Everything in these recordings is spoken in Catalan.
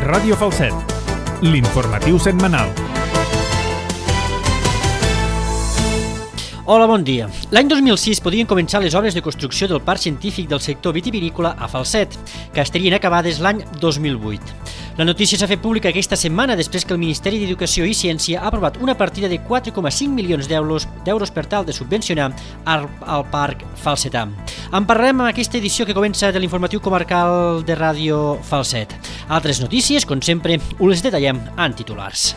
Ràdio Falset, l'informatiu setmanal. Hola, bon dia. L'any 2006 podien començar les obres de construcció del parc científic del sector vitivinícola a Falset, que estarien acabades l'any 2008. La notícia s'ha fet pública aquesta setmana després que el Ministeri d'Educació i Ciència ha aprovat una partida de 4,5 milions d'euros per tal de subvencionar al parc falsetà. En parlarem en aquesta edició que comença de l'informatiu comarcal de Ràdio Falset. Altres notícies, com sempre, us les detallem en titulars.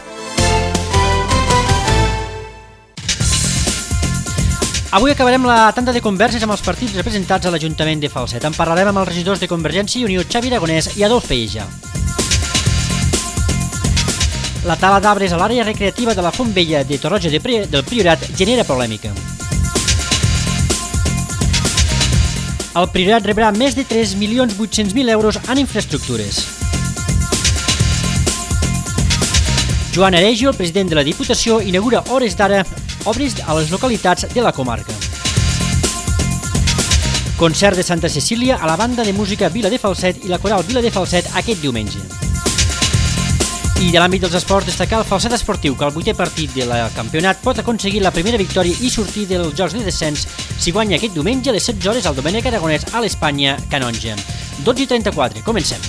Avui acabarem la tanda de converses amb els partits representats a l'Ajuntament de Falset. En parlarem amb els regidors de Convergència i Unió, Xavi Aragonès i Adolf Peïja. La tala d'arbres a l'àrea recreativa de la Font Vella de Torroja del Priorat genera polèmica. El Priorat rebrà més de 3.800.000 euros en infraestructures. Joan Aregio, el president de la Diputació, inaugura hores d'ara obres a les localitats de la comarca. Concert de Santa Cecília a la banda de música Vila de Falset i la coral Vila de Falset aquest diumenge. I de l'àmbit dels esports, destacar el Falset Esportiu, que al 8è partit del campionat pot aconseguir la primera victòria i sortir dels jocs de descens si guanya aquest diumenge a les 16 hores al Domènec Aragonès a l'Espanya Canonja. 12:34, comencem.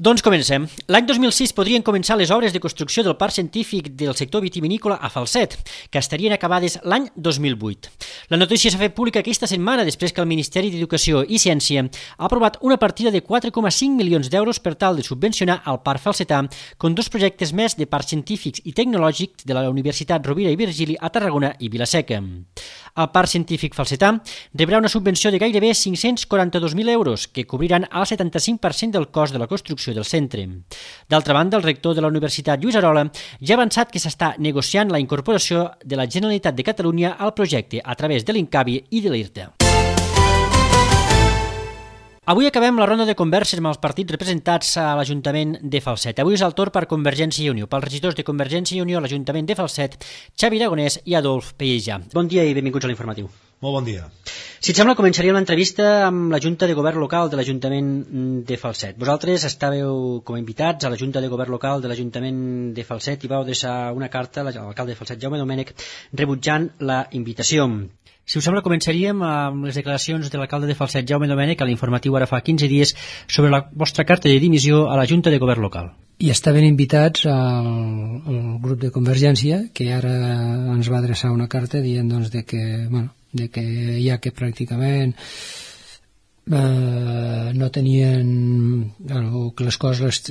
Doncs comencem. L'any 2006 podrien començar les obres de construcció del parc científic del sector vitivinícola a Falset, que estarien acabades l'any 2008. La notícia s'ha fet pública aquesta setmana després que el Ministeri d'Educació i Ciència ha aprovat una partida de 4,5 milions d'euros per tal de subvencionar al parc falsetà com dos projectes més de parcs científics i tecnològics de la Universitat Rovira i Virgili a Tarragona i Vila-seca. El parc científic falsetà rebrà una subvenció de gairebé 542.000 euros, que cobriran el 75% del cost de la construcció del centre. D'altra banda, el rector de la Universitat, Lluís Arola, ja ha avançat que s'està negociant la incorporació de la Generalitat de Catalunya al projecte a través de l'Incavi i de l'IRTA. Avui acabem la ronda de converses amb els partits representats a l'Ajuntament de Falset. Avui és el torn per Convergència i Unió, pels regidors de Convergència i Unió a l'Ajuntament de Falset, Xavi Aragonès i Adolf Peïja. Bon dia i benvinguts a l'informatiu. Molt bon dia. Si et sembla, començaríem l'entrevista amb la Junta de Govern Local de l'Ajuntament de Falset. Vosaltres estàveu com a invitats a la Junta de Govern Local de l'Ajuntament de Falset i vau deixar una carta a l'alcalde de Falset, Jaume Domènech, rebutjant la invitació. Si us sembla, començaríem amb les declaracions de l'alcalde de Falset, Jaume Domènech, a l'informatiu ara fa 15 dies, sobre la vostra carta de dimissió a la Junta de Govern Local. I estaven invitats al grup de Convergència, que ara ens va adreçar una carta dient doncs, de que ja que pràcticament no tenien o que les coses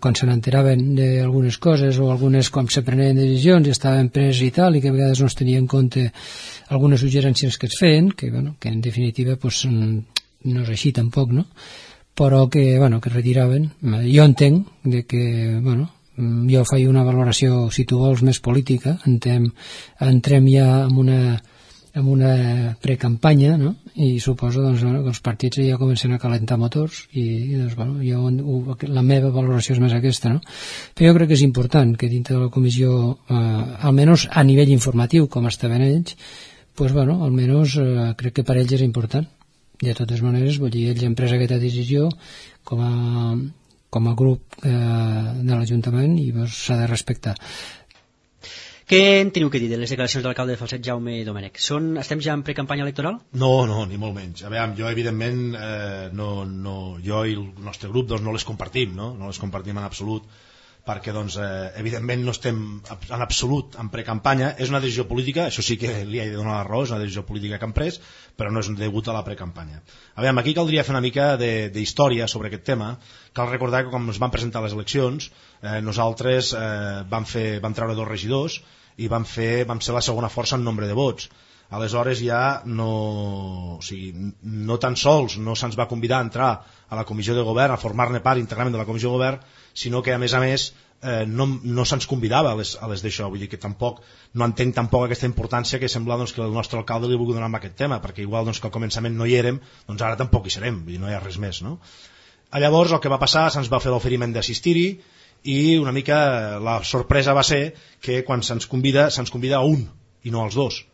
quan se n'enteraven d'algunes coses o algunes quan se prenien decisions estaven preses i tal, i que a vegades no es tenia en compte algunes suggerències que es feien, que en definitiva pues, no és així tampoc, no? Però que retiraven. Jo entenc que jo faig una valoració, si tu vols, més política. Entrem ja en una precampanya, no? I suposo que els partits ja comencen a calentar motors i la meva valoració és més aquesta, no? Però jo crec que és important que dintre de la comissió, almenys a nivell informatiu, com estaven ells, almenys crec que per ells és important. De totes maneres, ells han pres aquesta decisió com a grup de l'Ajuntament i s'ha de respectar. Què en teniu que dir de les declaracions de l'alcalde de Falset, Jaume Domènech? Estem ja en precampanya electoral? No, ni molt menys. A veure, jo evidentment jo i el nostre grup no les compartim, no les compartim en absolut, perquè evidentment no estem en absolut en precampanya. És una decisió política, això sí que li he de donar la raó, és una decisió política que han pres, però no és degut a la precampanya. A veure, aquí caldria fer una mica d'història sobre aquest tema. Cal recordar que quan es van presentar les eleccions, nosaltres vam treure 2 regidors i vam ser la segona força en nombre de vots. Aleshores ja no tan sols no se'ns va convidar a entrar a la comissió de govern, a formar-ne part íntegrament de la comissió de govern, sinó que a més no se'ns convidava a les d'això. Vull dir que no entenc tampoc aquesta importància que sembla que el nostre alcalde li vulgui donar amb aquest tema, perquè igual que al començament no hi érem, doncs ara tampoc hi serem, vull dir, no hi ha res més, no? Llavors el que va passar, se'ns va fer l'oferiment d'assistir-hi i una mica la sorpresa va ser que quan se'ns convida a un i no als 2.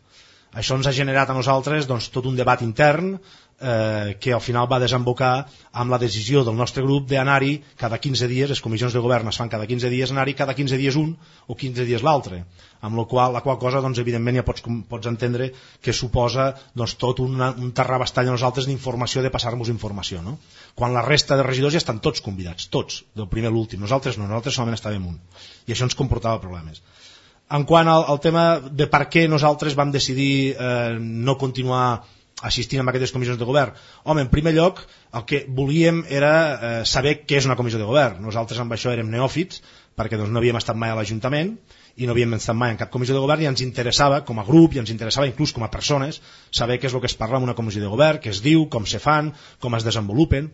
Això ens ha generat a nosaltres tot un debat intern que al final va desembocar amb la decisió del nostre grup d'anar-hi cada 15 dies, les comissions de govern es fan cada 15 dies, anar-hi cada 15 dies un o 15 dies l'altre, amb la qual cosa doncs, evidentment ja pots entendre que suposa doncs, tot un terrabastall a nosaltres d'informació, de passar-nos informació, no? Quan la resta de regidors ja estan tots convidats, tots, del primer a l'últim, nosaltres no, nosaltres solament estàvem un, i això ens comportava problemes. En quant al tema de per què nosaltres vam decidir no continuar assistint a aquestes comissions de govern, home, en primer lloc el que volíem era saber què és una comissió de govern. Nosaltres amb això érem neòfits perquè doncs, no havíem estat mai a l'Ajuntament i no havíem estat mai en cap comissió de govern i ens interessava com a grup i ens interessava inclús com a persones saber què és el que es parla en una comissió de govern, què es diu, com se fan, com es desenvolupen,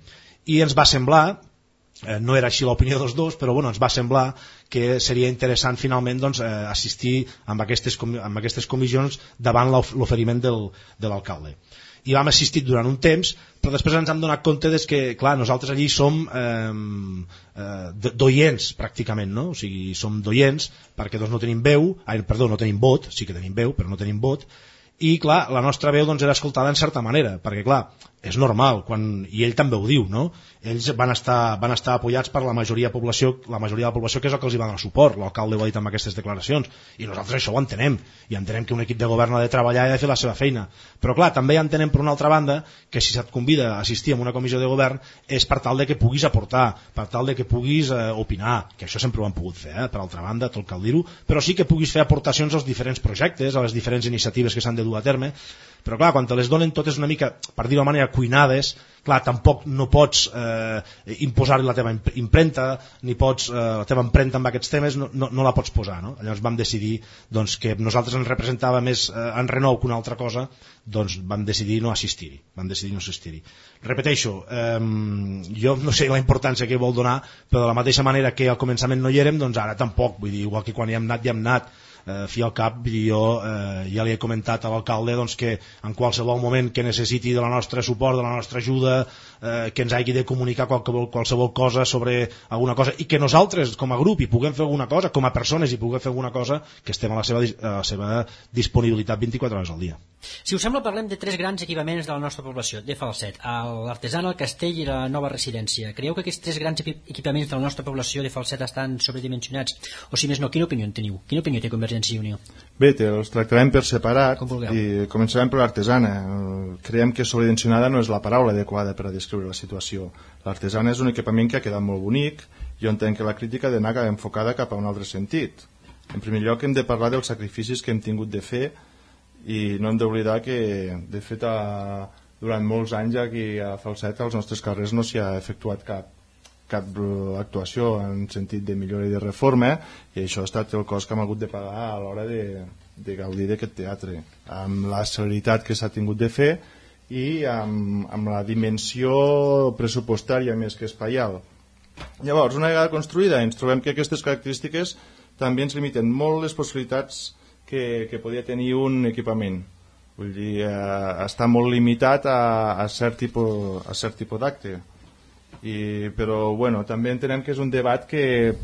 i ens va semblar, no era així l'opinió dels dos, però bueno, ens va semblar que seria interessant finalment doncs, assistir amb aquestes comissions davant l'oferiment de l'alcalde. I vam assistir durant un temps, però després ens hem donat compte que clar, nosaltres allí som d'oients pràcticament, no? O sigui, som d'oients perquè doncs, no tenim veu, no tenim vot, sí que tenim veu però no tenim vot, i clar, la nostra veu doncs, era escoltada en certa manera, perquè clar, és normal, i ell també ho diu, no? Ells van estar apoyats per la majoria de la població que és el que els hi va donar suport, l'alcalde ho ha dit amb aquestes declaracions, i nosaltres això ho entenem, i entenem que un equip de govern ha de treballar i ha de fer la seva feina, però clar, també entenem per una altra banda que si se't convida a assistir a una comissió de govern és per tal de que puguis aportar, per tal de que puguis opinar, que això sempre ho han pogut fer, per altra banda, tot cal dir-ho, però sí que puguis fer aportacions als diferents projectes, a les diferents iniciatives que s'han de dur a terme, però clar, quan te les donen totes una mica, per dir-ho de manera, cuinades, clar, tampoc no pots imposar-li la teva impremta, ni pots, la teva empremta amb aquests temes no la pots posar, no? Llavors vam decidir doncs, que nosaltres ens representava més en renou que una altra cosa, doncs vam decidir no assistir-hi. Repeteixo, jo no sé la importància que vol donar, però de la mateixa manera que al començament no hi érem, doncs ara tampoc, vull dir, igual que quan hi hem anat, fi al cap, jo ja li he comentat a l'alcalde doncs, que en qualsevol moment que necessiti del nostre suport, de la nostra ajuda, que ens hagi de comunicar qualsevol cosa sobre alguna cosa i que nosaltres com a grup hi puguem fer alguna cosa, com a persones hi puguem fer alguna cosa, que estem a la seva disponibilitat 24 hores al dia. Si us sembla, parlem de 3 grans equipaments de la nostra població, de Falset, l'Artesana, el Castell i la nova residència. Creieu que aquests 3 grans equipaments de la nostra població de Falset estan sobredimensionats? O si més no, quina opinió en teniu? Quina opinió té Convergència i Unió? Bé, els tractarem per separat i començarem per l'Artesana. Creiem que sobredimensionada no és la paraula adequada per a descriure la situació. L'Artesana és un equipament que ha quedat molt bonic. Jo entenc que la crítica ha d'anar enfocada cap a un altre sentit. En primer lloc hem de parlar dels sacrificis que hem tingut de fer i no hem d'oblidar que de fet durant molts anys aquí a Falset als nostres carrers no s'hi ha efectuat cap actuació en sentit de millora i de reforma, i això ha estat el cost que hem hagut de pagar a l'hora de gaudir d'aquest teatre, amb la celeritat que s'ha tingut de fer i amb la dimensió pressupostària més que espaial. Llavors, una vegada construïda, ens trobem que aquestes característiques també ens limiten molt les possibilitats que podia tenir un equipament. Vull dir, està molt limitat a cert tipus d'acte. Però bueno, també entenem que és un debat que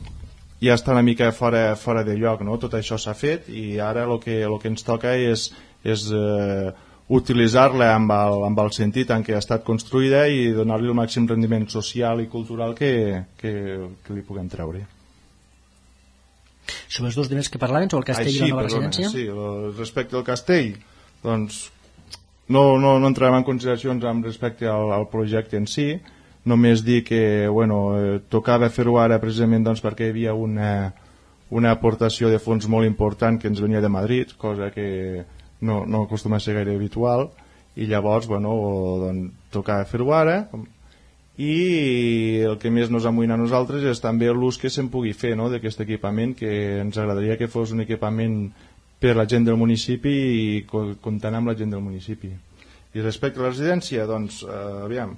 ja està una mica fora de lloc, no? Tot això s'ha fet i ara el que ens toca és utilitzar-la amb el sentit en què ha estat construïda i donar-li el màxim rendiment social i cultural que li puguem treure. Sobre els dos diners que parlaven, sobre el castell i la nova residència? Sí, respecte al castell, doncs no entrarem en consideracions amb respecte al projecte en si, només dir que tocava fer-ho ara precisament doncs, perquè hi havia una aportació de fons molt important que ens venia de Madrid, cosa que no acostuma a ser gaire habitual, i llavors tocava fer-ho ara, i el que més ens amoïna a nosaltres és també l'ús que se'n pugui fer d'aquest equipament, que ens agradaria que fos un equipament per la gent del municipi i comptant amb la gent del municipi. I respecte a la residència, doncs, aviam,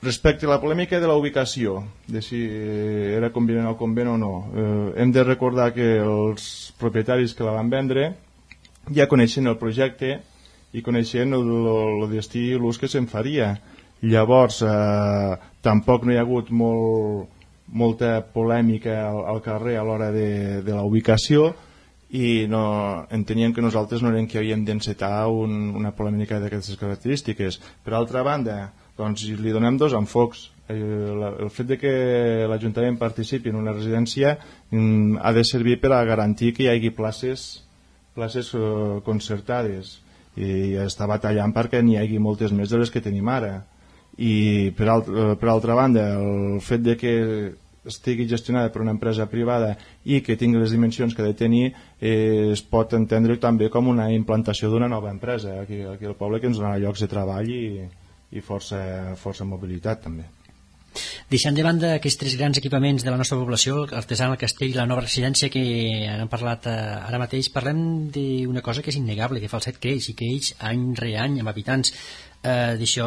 respecte a la polèmica de la ubicació, de si era convenient al convent o no, hem de recordar que els propietaris que la van vendre ja coneixen el projecte i coneixen el destí i l'ús que se'n faria. Llavors, tampoc no hi ha hagut molta polèmica al carrer a l'hora de la ubicació i enteníem que nosaltres no érem que havíem d'encetar una polèmica d'aquestes característiques. Per altra banda, doncs li donem dos enfocs. El fet de que l'Ajuntament participi en una residència ha de servir per a garantir que hi hagi places concertades, i està batallant perquè n'hi hagi moltes més de les que tenim ara. I per altra banda, el fet de que estigui gestionada per una empresa privada i que tingui les dimensions que ha de tenir es pot entendre també com una implantació d'una nova empresa aquí al poble, que ens donarà llocs de treball i força mobilitat també. Deixant de banda aquests tres grans equipaments de la nostra població, l'Artesana, el Castell i la nova residència que han parlat ara mateix, parlem d'una cosa que és innegable, que Falset creix i creix any rere any amb habitants. D'això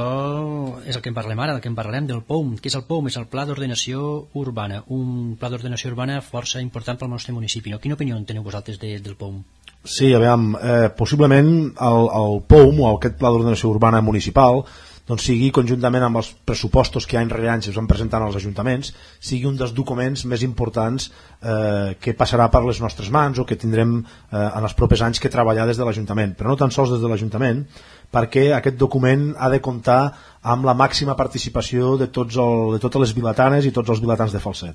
és el que en parlem ara, del que en parlem, del POUM. Què és el POUM? És el Pla d'Ordenació Urbana, un pla d'ordenació urbana força important pel nostre municipi, no? Quina opinió teniu vosaltres del POUM? Sí, aviam, possiblement el POUM o aquest Pla d'Ordenació Urbana Municipal doncs sigui, conjuntament amb els pressupostos que any rere any es van presentant als ajuntaments, sigui un dels documents més importants que passarà per les nostres mans o que tindrem en els propers anys que treballar des de l'Ajuntament, però no tan sols des de l'Ajuntament, perquè aquest document ha de comptar amb la màxima participació de totes les vilatanes i tots els vilatans de Falset.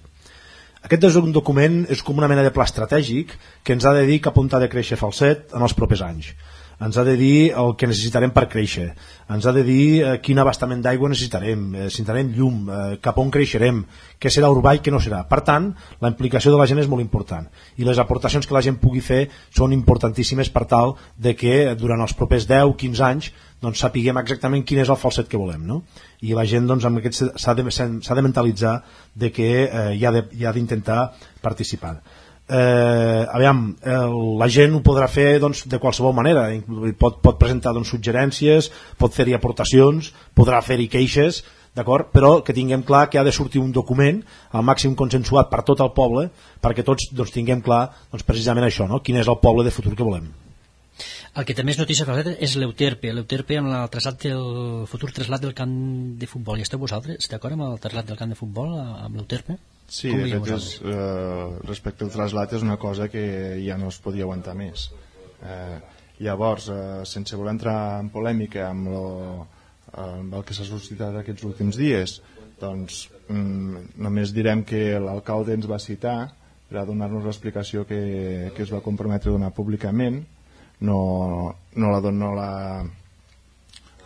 Aquest és un document, és com una mena de pla estratègic que ens ha de dir cap on ha de créixer Falset en els propers anys. Ens ha de dir el que necessitarem per créixer, ens ha de dir quin abastament d'aigua necessitarem llum, cap on creixerem, què serà urbà i què no serà. Per tant, la implicació de la gent és molt important i les aportacions que la gent pugui fer són importantíssimes per tal de que durant els propers 10-15 anys doncs, sapiguem exactament quin és el Falset que volem, no? I la gent doncs, amb aquest s'ha de mentalitzar de que hi ha d'intentar participar. La gent ho podrà fer doncs, de qualsevol manera, pot presentar doncs, suggerències, pot fer-hi aportacions, podrà fer-hi queixes, però que tinguem clar que ha de sortir un document al màxim consensuat per tot el poble perquè tots doncs, tinguem clar doncs, precisament això, no? Quin és el poble de futur que volem. El que també és notícia és l'Euterpe amb el futur trasllat del camp de futbol. I esteu vosaltres d'acord amb el trasllat del camp de futbol amb l'Euterpe? Sí, de fet, respecte al trasllat és una cosa que ja no es podia aguantar més. Llavors, sense voler entrar en polèmica amb el que s'ha suscitat aquests últims dies, doncs només direm que l'alcalde ens va citar per a donar-nos l'explicació que es va comprometre a donar públicament. No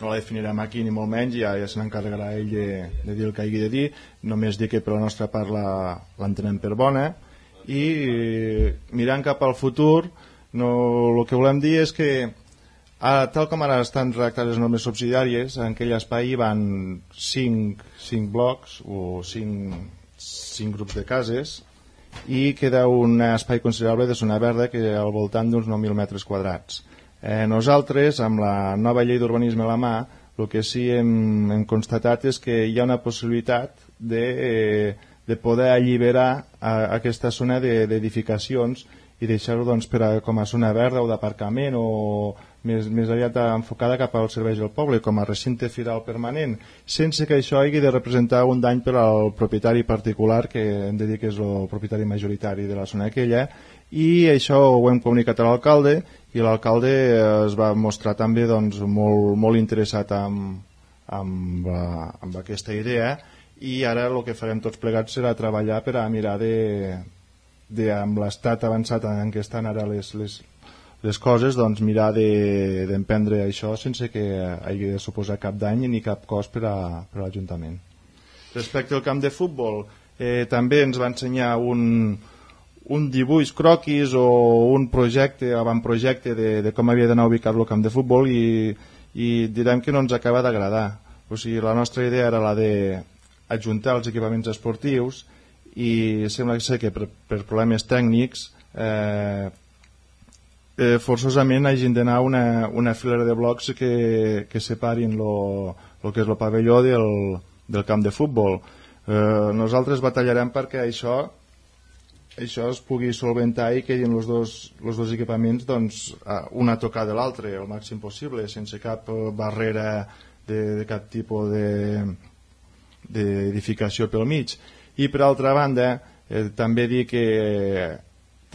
la definirem aquí ni molt menys, ja se n'encarregarà ell de dir el que hagi de dir. Només dir que per la nostra part l'entenem per bona i mirant cap al futur el que volem dir és que tal com ara estan redactades les normes subsidiàries, en aquell espai hi van 5 blocs o 5 grups de cases i queda un espai considerable de zona verda que al voltant d'uns 9.000 metres quadrats. Nosaltres, amb la nova llei d'urbanisme a la mà, el que sí hem constatat és que hi ha una possibilitat de poder alliberar aquesta zona d'edificacions i deixar-ho doncs, com a zona verda o d'aparcament o més aviat enfocada cap als serveis del poble, com a recinte firal permanent, sense que això hagi de representar un dany per al propietari particular, que hem de dir que és el propietari majoritari de la zona aquella, i això ho hem comunicat a l'alcalde, i l'alcalde es va mostrar també doncs, molt interessat amb aquesta idea, i ara el que farem tots plegats serà treballar per a mirar amb l'estat avançat en què estan ara les coses, doncs mirar d'emprendre això sense que hagi de suposar cap dany ni cap cost per a l'Ajuntament. Respecte al camp de futbol, també ens va ensenyar un dibuix croquis o un projecte, avantprojecte de com havia d'anar ubicat el camp de futbol i direm que no ens acaba d'agradar. O sigui, la nostra idea era la d'ajuntar els equipaments esportius i sembla ser que per problemes tècnics forçosament hagin d'anar una filera de blocs que separin el que és el pavelló del camp de futbol. Nosaltres batallarem perquè això es pugui solventar i quedin els dos equipaments doncs, una a tocar de l'altre el màxim possible, sense cap barrera de cap tipus d'edificació pel mig. I per altra banda també dir que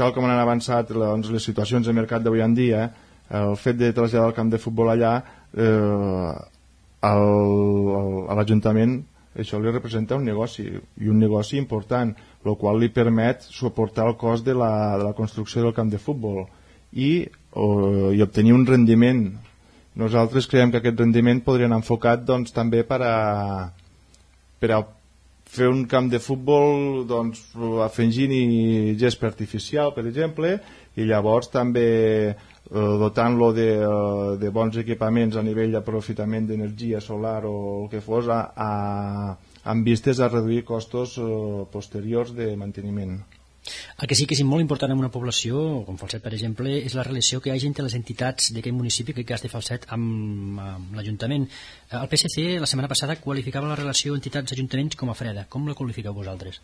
tal com han avançat les situacions de mercat d'avui en dia, el fet de traslladar el camp de futbol allà a l'Ajuntament això li representa un negoci, i un negoci important, el qual li permet suportar el cost de la construcció del camp de futbol i obtenir un rendiment. Nosaltres creiem que aquest rendiment podria anar enfocat doncs, també per a fer un camp de futbol doncs, afegint-hi gespa artificial, per exemple, i llavors també dotant-lo de bons equipaments a nivell d'aprofitament d'energia solar o el que fos, amb vistes a reduir costos posteriors de manteniment. El que sí que és molt important en una població, com Falset per exemple, és la relació que hi ha entre les entitats d'aquest municipi, que cas de Falset, amb l'Ajuntament. El PSC la setmana passada qualificava la relació entitats-ajuntaments com a freda. Com la qualifiqueu vosaltres?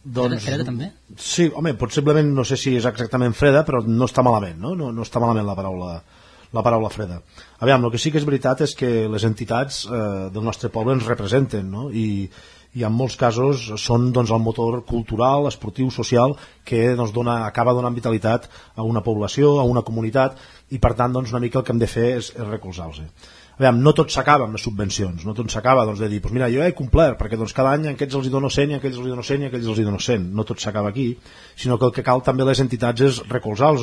Doncs, freda també? Sí, home, possiblement no sé si és exactament freda, però no està malament, no? No està malament la paraula freda. Aviam, el que sí que és veritat és que les entitats del nostre poble ens representen, no? I en molts casos són doncs, el motor cultural, esportiu, social que doncs, acaba donant vitalitat a una població, a una comunitat, i per tant doncs, una mica el que hem de fer és recolzar-los. Aviam, no tot s'acaba amb les subvencions, no tot s'acaba doncs, de dir, doncs mira, jo he complert, perquè doncs, cada any aquests els hi dono 100, aquells els hi dono 100 i aquells els hi dono 100. No tot s'acaba aquí, sinó que el que cal també les entitats és recolzar-les,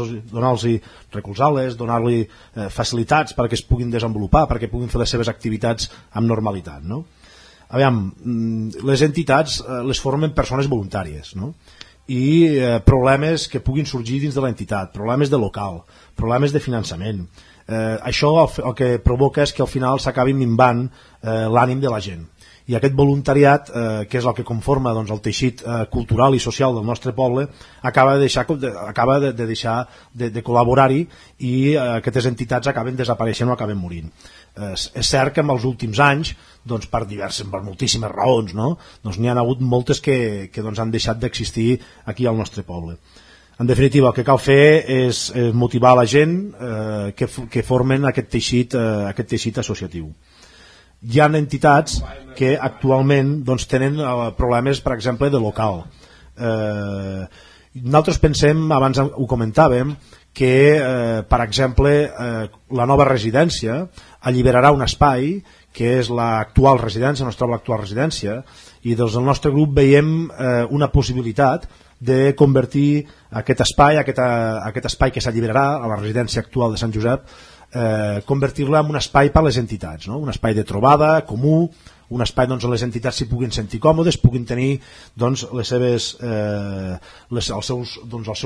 donar-li facilitats perquè es puguin desenvolupar, perquè puguin fer les seves activitats amb normalitat, no? Aviam, les entitats les formen persones voluntàries, no? I problemes que puguin sorgir dins de l'entitat, problemes de local, problemes de finançament, això el que provoca és que al final s'acabi minvant l'ànim de la gent, i aquest voluntariat, que és el que conforma doncs, el teixit cultural i social del nostre poble, acaba de deixar de col·laborar-hi, i aquestes entitats acaben desapareixent o acaben morint. És cert que en els últims anys, doncs, per moltíssimes raons, no? Doncs n'hi ha hagut moltes que doncs, han deixat d'existir aquí al nostre poble. En definitiva, el que cal fer és motivar la gent que formen aquest teixit associatiu. Hi ha entitats que actualment doncs, tenen problemes, per exemple, de local. Nosaltres pensem, abans ho comentàvem, que, per exemple, la nova residència alliberarà un espai que és l'actual residència, on es troba l'actual residència, i des del nostre grup veiem una possibilitat de convertir aquest espai que s'alliberarà a la residència actual de Sant Josep, convertir-la en un espai per a les entitats, no? Un espai de trobada, comú, un espai on les entitats s'hi puguin sentir còmodes, puguin tenir doncs, els seus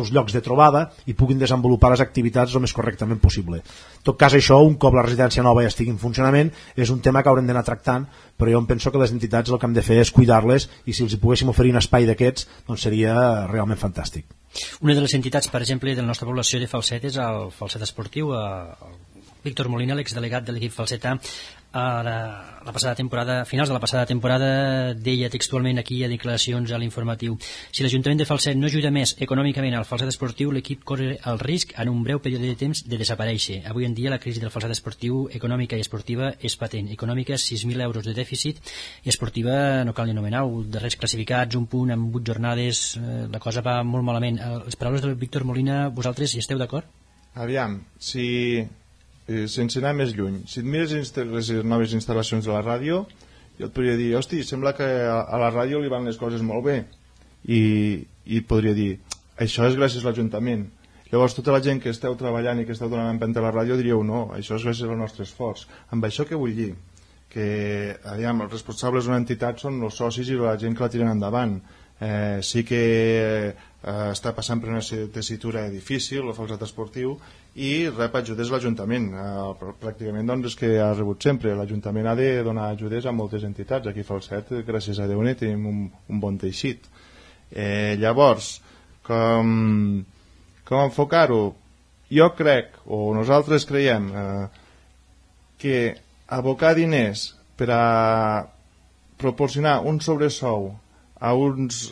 llocs de trobada i puguin desenvolupar les activitats el més correctament possible. En tot cas, això, un cop la residència nova ja estigui en funcionament, és un tema que haurem d'anar tractant, però jo em penso que les entitats el que hem de fer és cuidar-les, i si els hi poguéssim oferir un espai d'aquests, doncs seria realment fantàstic. Una de les entitats, per exemple, de la nostra població de Falset és el Falset Esportiu. El Víctor Molina, l'exdelegat de l'equip falsetà, la passada temporada, a finals de la passada temporada, deia textualment aquí a declaracions a l'informatiu: si l'Ajuntament de Falset no ajuda més econòmicament al Falset Esportiu, l'equip corre el risc en un breu període de temps de desaparèixer. Avui en dia la crisi del Falset Esportiu, econòmica i esportiva, és patent. Econòmica, 6.000 euros de dèficit, i esportiva no cal ni anomenar-ho, darrers classificats, un punt en 8 jornades, la cosa va molt malament. Les paraules del Víctor Molina, vosaltres hi esteu d'acord? Aviam, sense anar més lluny, si et mires les noves instal·lacions de la ràdio, jo et podria dir, hosti, sembla que a la ràdio li van les coses molt bé, i podria dir, això és gràcies a l'Ajuntament. Llavors tota la gent que esteu treballant i que esteu donant empenta a la ràdio diríeu, no, això és gràcies al nostre esforç. Amb això què vull dir? Que aviam, els responsables d'una entitat són els socis i la gent que la tiren endavant. Sí que està passant per una tessitura difícil el Falset Esportiu, i rep ajudes l'Ajuntament, pràcticament doncs és que ha rebut sempre. L'Ajuntament ha de donar ajudes a moltes entitats. Aquí a Falset, gràcies a Déu, tenim un bon teixit. Llavors, com enfocar-ho? Jo crec, o nosaltres creiem, que abocar diners per a proporcionar un sobresou a uns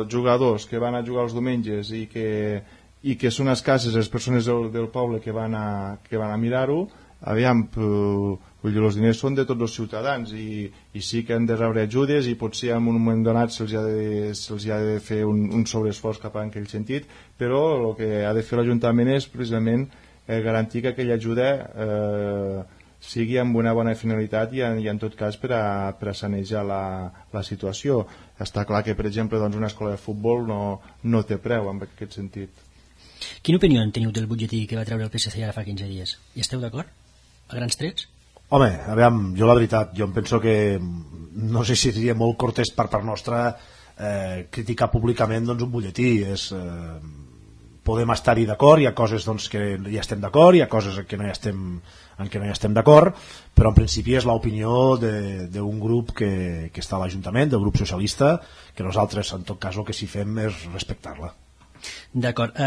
jugadors que van a jugar els diumenges i que són escasses les persones del poble que van a mirar-ho, aviam, els diners són de tots els ciutadans i sí que han de rebre ajudes i potser en un moment donat se'ls ha de fer un sobreesforç cap en aquell sentit, però el que ha de fer l'Ajuntament és precisament garantir que aquella ajuda sigui amb una bona finalitat i en tot cas per a sanejar la situació. Està clar que, per exemple, una escola de futbol no té preu en aquest sentit. Quina opinió en teniu del butlletí que va treure el PSC ara fa 15 dies? Hi esteu d'acord? A grans trets? Home, aviam, jo la veritat, jo em penso que no sé si seria molt cortès per part nostra criticar públicament un butlletí. Podem estar-hi d'acord, hi ha coses que hi estem d'acord, hi ha coses en què no hi estem d'acord, però en principi és l'opinió d'un grup que està a l'Ajuntament, del grup socialista, que nosaltres en tot cas el que sí fem és respectar-la. D'acord.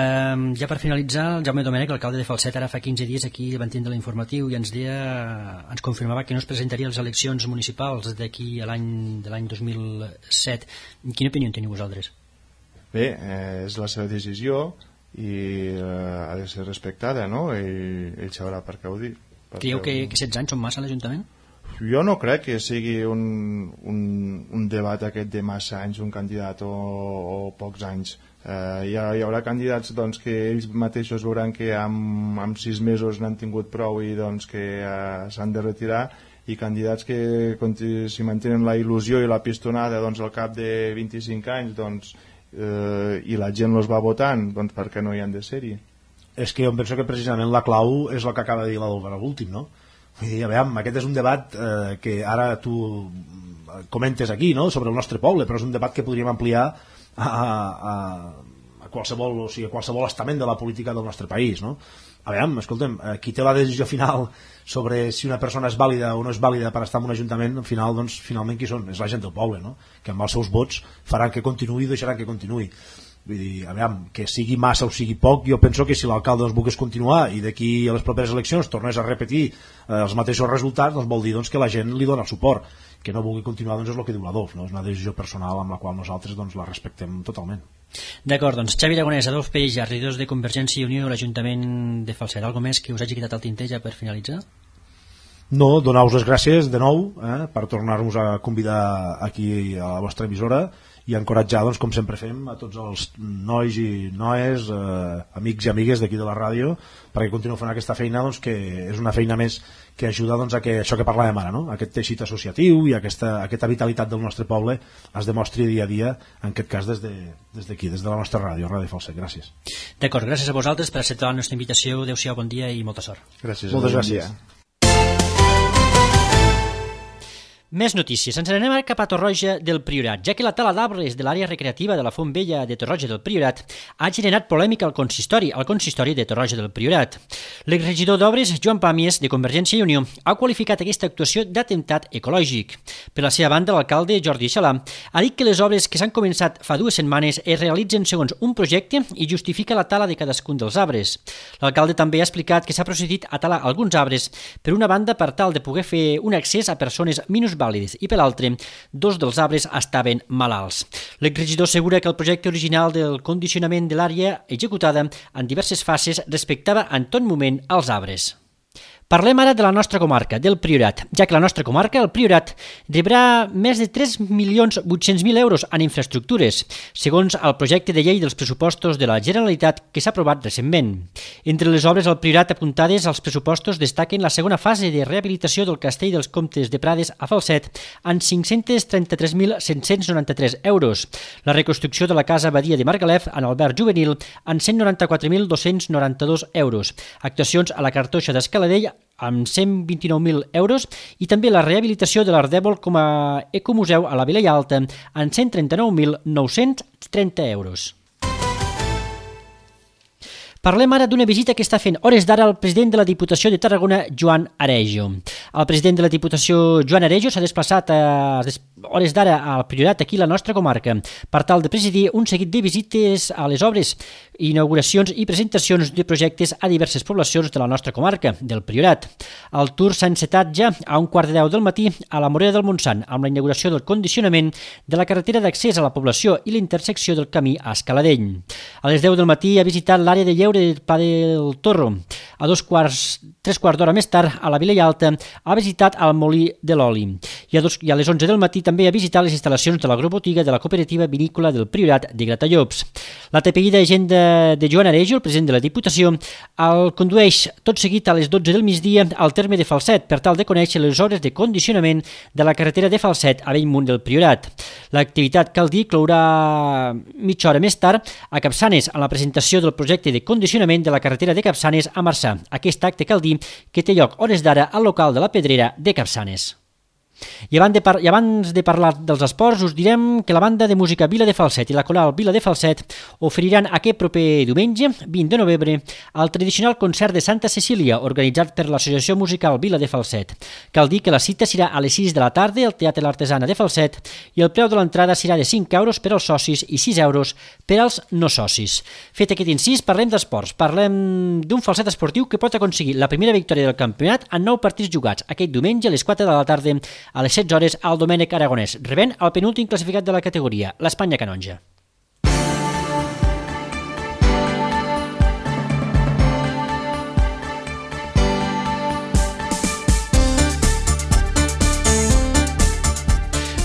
Ja per finalitzar, el Jaume Domènech, l'alcalde de Falset, ara fa 15 dies aquí van tindre l'informatiu i ens confirmava que no es presentaria a les eleccions municipals d'aquí a l'any 2007. Quina opinió en teniu vosaltres? Bé, és la seva decisió i ha de ser respectada, no? Ell sabrà per què ho dic. Creieu que 16 anys són massa a l'Ajuntament? Jo no crec que sigui un debat aquest de massa anys, un candidat o pocs anys. Hi haurà candidats que ells mateixos veuran que en 6 mesos n'han tingut prou i que s'han de retirar, i candidats que si mantenen la il·lusió i la pistonada al cap de 25 anys i la gent els va votant, per què no hi han de ser-hi? És que jo penso que precisament la clau és el que acaba de dir l'Albert a l'últim, no? Aviam, aquest és un debat que ara tu comentes aquí, no?, sobre el nostre poble, però és un debat que podríem ampliar a qualsevol estament de la política del nostre país, no? Aviam, escolta'm, qui té la decisió final sobre si una persona és vàlida o no és vàlida per estar en un ajuntament, al final, finalment qui són? És la gent del poble, no?, que amb els seus vots faran que continuï i deixaran que continuï. Vull dir, aviam, que sigui massa o sigui poc, jo penso que si l'alcalde volgués continuar i d'aquí a les properes eleccions tornés a repetir els mateixos resultats, vol dir que la gent li dona suport. Que no vulgui continuar és el que diu l'Adolf, no? És una decisió personal amb la qual nosaltres la respectem totalment. D'acord, Xavi Aragonès, Adolf Peija, regidors de Convergència i Unió a l'Ajuntament de Falset. Algo més que us hagi quedat al tinter ja per finalitzar? No, donar-vos les gràcies de nou per tornar-nos a convidar aquí a la vostra emissora i encoratjar, com sempre fem, a tots els nois i noies, amics i amigues d'aquí de la ràdio, perquè continueu fent aquesta feina, que és una feina més que ajuda a que això que parlàvem ara, no?, aquest teixit associatiu i aquesta vitalitat del nostre poble es demostri dia a dia, en aquest cas des d'aquí, des de la nostra ràdio, Ràdio Falset. Gràcies. D'acord, gràcies a vosaltres per acceptar la nostra invitació. Adéu-siau, bon dia i molta sort. Gràcies. Moltes gràcies. Més notícies. Ens anem cap a Torroja del Priorat, ja que la tala d'arbres de l'àrea recreativa de la Font Vella de Torroja del Priorat ha generat polèmica al consistori de Torroja del Priorat. L'exregidor d'Obres, Joan Pàmies, de Convergència i Unió, ha qualificat aquesta actuació d'atemptat ecològic. Per la seva banda, l'alcalde Jordi Xalà ha dit que les obres que s'han començat fa 2 setmanes es realitzen segons un projecte i justifica la tala de cadascun dels arbres. L'alcalde també ha explicat que s'ha procedit a talar alguns arbres, per una banda per tal de poder fer un accés a persones minusvàlides i per l'altre, 2 dels arbres estaven malalts. L'exregidor assegura que el projecte original del condicionament de l'àrea executada en diverses fases respectava en tot moment els arbres. Parlem ara de la nostra comarca, del Priorat, ja que la nostra comarca, el Priorat, rebrà més de 3.800.000 euros en infraestructures, segons el projecte de llei dels pressupostos de la Generalitat que s'ha aprovat recentment. Entre les obres al Priorat apuntades als pressupostos destaquen la segona fase de rehabilitació del Castell dels Comtes de Prades a Falset en 533.793 euros, la reconstrucció de la Casa Badia de Margalef en Albert Juvenil en 194.292 euros, actuacions a la Cartoixa d'Escaladell amb 129.000 euros i també la rehabilitació de l'Ardèvol com a ecomuseu a la Vilella Alta en 139.930 euros. Parlem ara d'una visita que està fent hores d'ara el president de la Diputació de Tarragona, Joan Aregio. El president de la Diputació, Joan Aregio, s'ha desplaçat a hores d'ara al Priorat, aquí a la nostra comarca, per tal de presidir un seguit de visites a les obres, inauguracions i presentacions de projectes a diverses poblacions de la nostra comarca, del Priorat. El tour s'ha encetat ja a 1:15 del matí a la Morera del Montsant, amb la inauguració del condicionament de la carretera d'accés a la població i la intersecció del camí a Escaladell. A les 10 del matí ha visitat l'àrea de lleure del Pla del Torro. a 3 quarts d'hora més tard, a la Vila Alta, ha visitat el Molí de l'Oli. I a les 11 del matí també ha visitat les instal·lacions de l'agrobotiga de la cooperativa vinícola del Priorat de Gratallops. La TPI d'Agenda de Joan Arejo, el president de la Diputació, el condueix tot seguit a les 12 del migdia al terme de Falset per tal de conèixer les hores de condicionament de la carretera de Falset a Bellmunt del Priorat. L'activitat, cal dir, clourà mitja hora més tard a Capçanes amb la presentació del projecte de condicionament de la carretera de Capçanes a Marçà. Aquest acte, cal dir, que té lloc hores d'ara al local de la Pedrera de Capçanes. I abans de parlar dels esports, us direm que la banda de música Vila de Falset i la coral Vila de Falset oferiran aquest proper diumenge, 20 de novembre, el tradicional concert de Santa Cecília, organitzat per l'Associació Musical Vila de Falset. Cal dir que la cita serà a les 6 de la tarda al Teatre L'Artesana de Falset i el preu de l'entrada serà de 5 euros per als socis i 6 euros per als no socis. Fet aquest incís, parlem d'esports. Parlem d'un Falset esportiu que pot aconseguir la primera victòria del campionat en 9 partits jugats aquest diumenge a les 4 de la tarda a les 16 hores al Domènec Aragonès, rebent el penúltim classificat de la categoria, l'Espanya Canonja.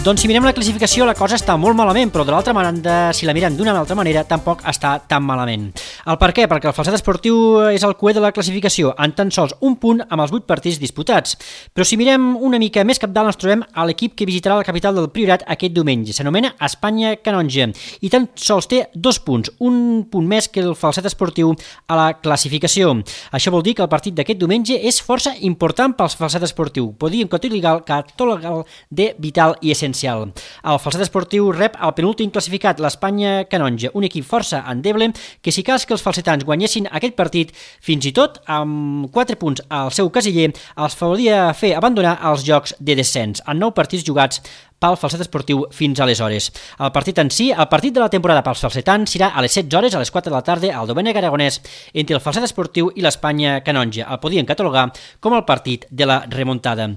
Doncs si mirem la classificació la cosa està molt malament, però de l'altra banda, si la mirem d'una altra manera, tampoc està tan malament. El per què? Perquè el Falset esportiu és el cuer de la classificació, en tan sols un punt amb els 8 partits disputats. Però si mirem una mica més capdalt ens trobem a l'equip que visitarà la capital del Priorat aquest diumenge. S'anomena Espanya Canonja i tan sols té 2 punts, un punt més que el Falset esportiu a la classificació. Això vol dir que el partit d'aquest diumenge és força important pel Falset esportiu. Podríem catalogar de vital i essencial. El Falset esportiu rep el penúltim classificat, l'Espanya Canonja, un equip força endeble que si cas que els falsetans guanyessin aquest partit, fins i tot amb 4 punts al seu casiller, els faria fer abandonar els jocs de descens en 9 partits jugats pel Falset esportiu fins aleshores. El partit en si, el partit de la temporada pels falsetans, serà a les 16 hores, a les 4 de la tarda, al Domènec Aragonès, entre el Falset esportiu i l'Espanya Canonja. El podien catalogar com el partit de la remuntada.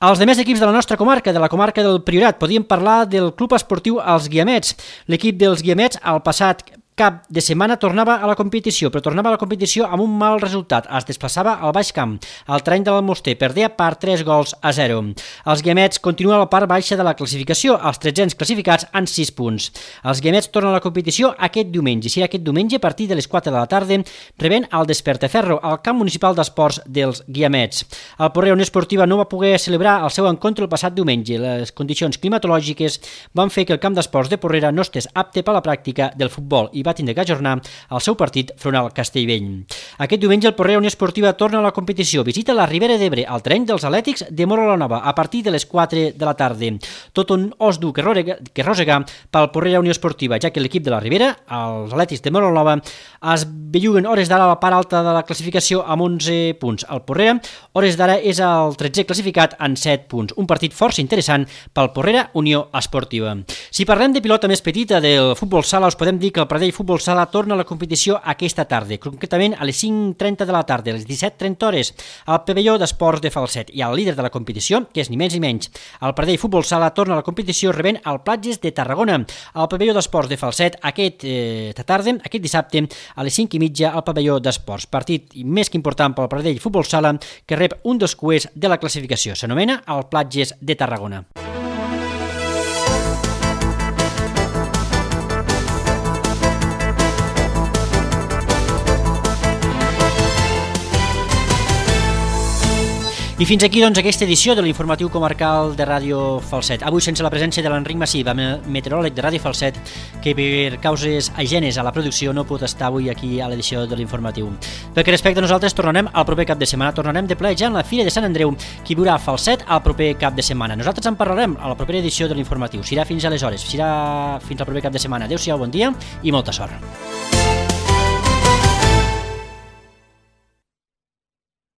Els demés equips de la nostra comarca, de la comarca del Priorat, podíem parlar del club esportiu Els Guiamets. L'equip dels Guiamets, al passat cap de setmana tornava a la competició, però tornava a la competició amb un mal resultat. Es desplaçava al Baix Camp, al terreny de l'Almoster, perdea per 3-0. Els Guiamets continuen a la part baixa de la classificació, els 13 classificats en 6 punts. Els Guiamets tornen a la competició aquest diumenge. Serà aquest diumenge a partir de les 4 de la tarda, rebent el Despertaferro al camp municipal d'esports dels Guiamets. El Porrea Unió Esportiva no va poder celebrar el seu encontre el passat diumenge. Les condicions climatològiques van fer que el camp d'esports de Porrera no estés apte per a la pràctica del futbol i va tindre que ajornar el seu partit front al Castellvell. Aquest diumenge el Porrea Unió Esportiva torna a la competició, visita la Ribera d'Ebre, al terreny dels Atlètics de Móra la Nova, a partir de les 4 de la tarda. Tot un os dur que rosegar pel Porrea Unió Esportiva, ja que l'equip de la Ribera, els Atlètics de Móra la Nova, es belluguen hores d'ara a la part alta de la classificació amb 11 punts. El Porrera, hores d'ara, és el 13è classificat en 7 punts. Un partit força interessant pel Porrera Unió Esportiva. Si parlem de pilota més petita del futbol sala, us podem dir que el Pradell Futbol Sala torna a la competició aquesta tarda, concretament a les 5:30 de la tarda, a les 17:30 hores, al pavelló d'esports de Falset. I el líder de la competició, que és ni menys ni menys, el Pradell Futbol Sala, torna a la competició rebent el Platges de Tarragona, al pavelló d'esports de Falset, aquesta tarda, aquest dissabte, a les 5:30 al pavelló d'esports. Partit més que important pel Pradell Futbol Sala, que rep un dels cuers de la classificació. S'anomena el Platges de Tarragona. I fins aquí, doncs, aquesta edició de l'informatiu comarcal de Ràdio Falset. Avui sense la presència de l'Enric Massiva, meteoròleg de Ràdio Falset, que per causes ajenes a la producció no pot estar avui aquí a l'edició de l'informatiu. Pel que respecte a nosaltres, tornarem al proper cap de setmana, tornarem de ple ja en la Fira de Sant Andreu, que viurà a Falset al proper cap de setmana. Nosaltres en parlarem a la propera edició de l'informatiu. Serà fins aleshores, serà fins al proper cap de setmana. Adéu-siau, bon dia i molta sort.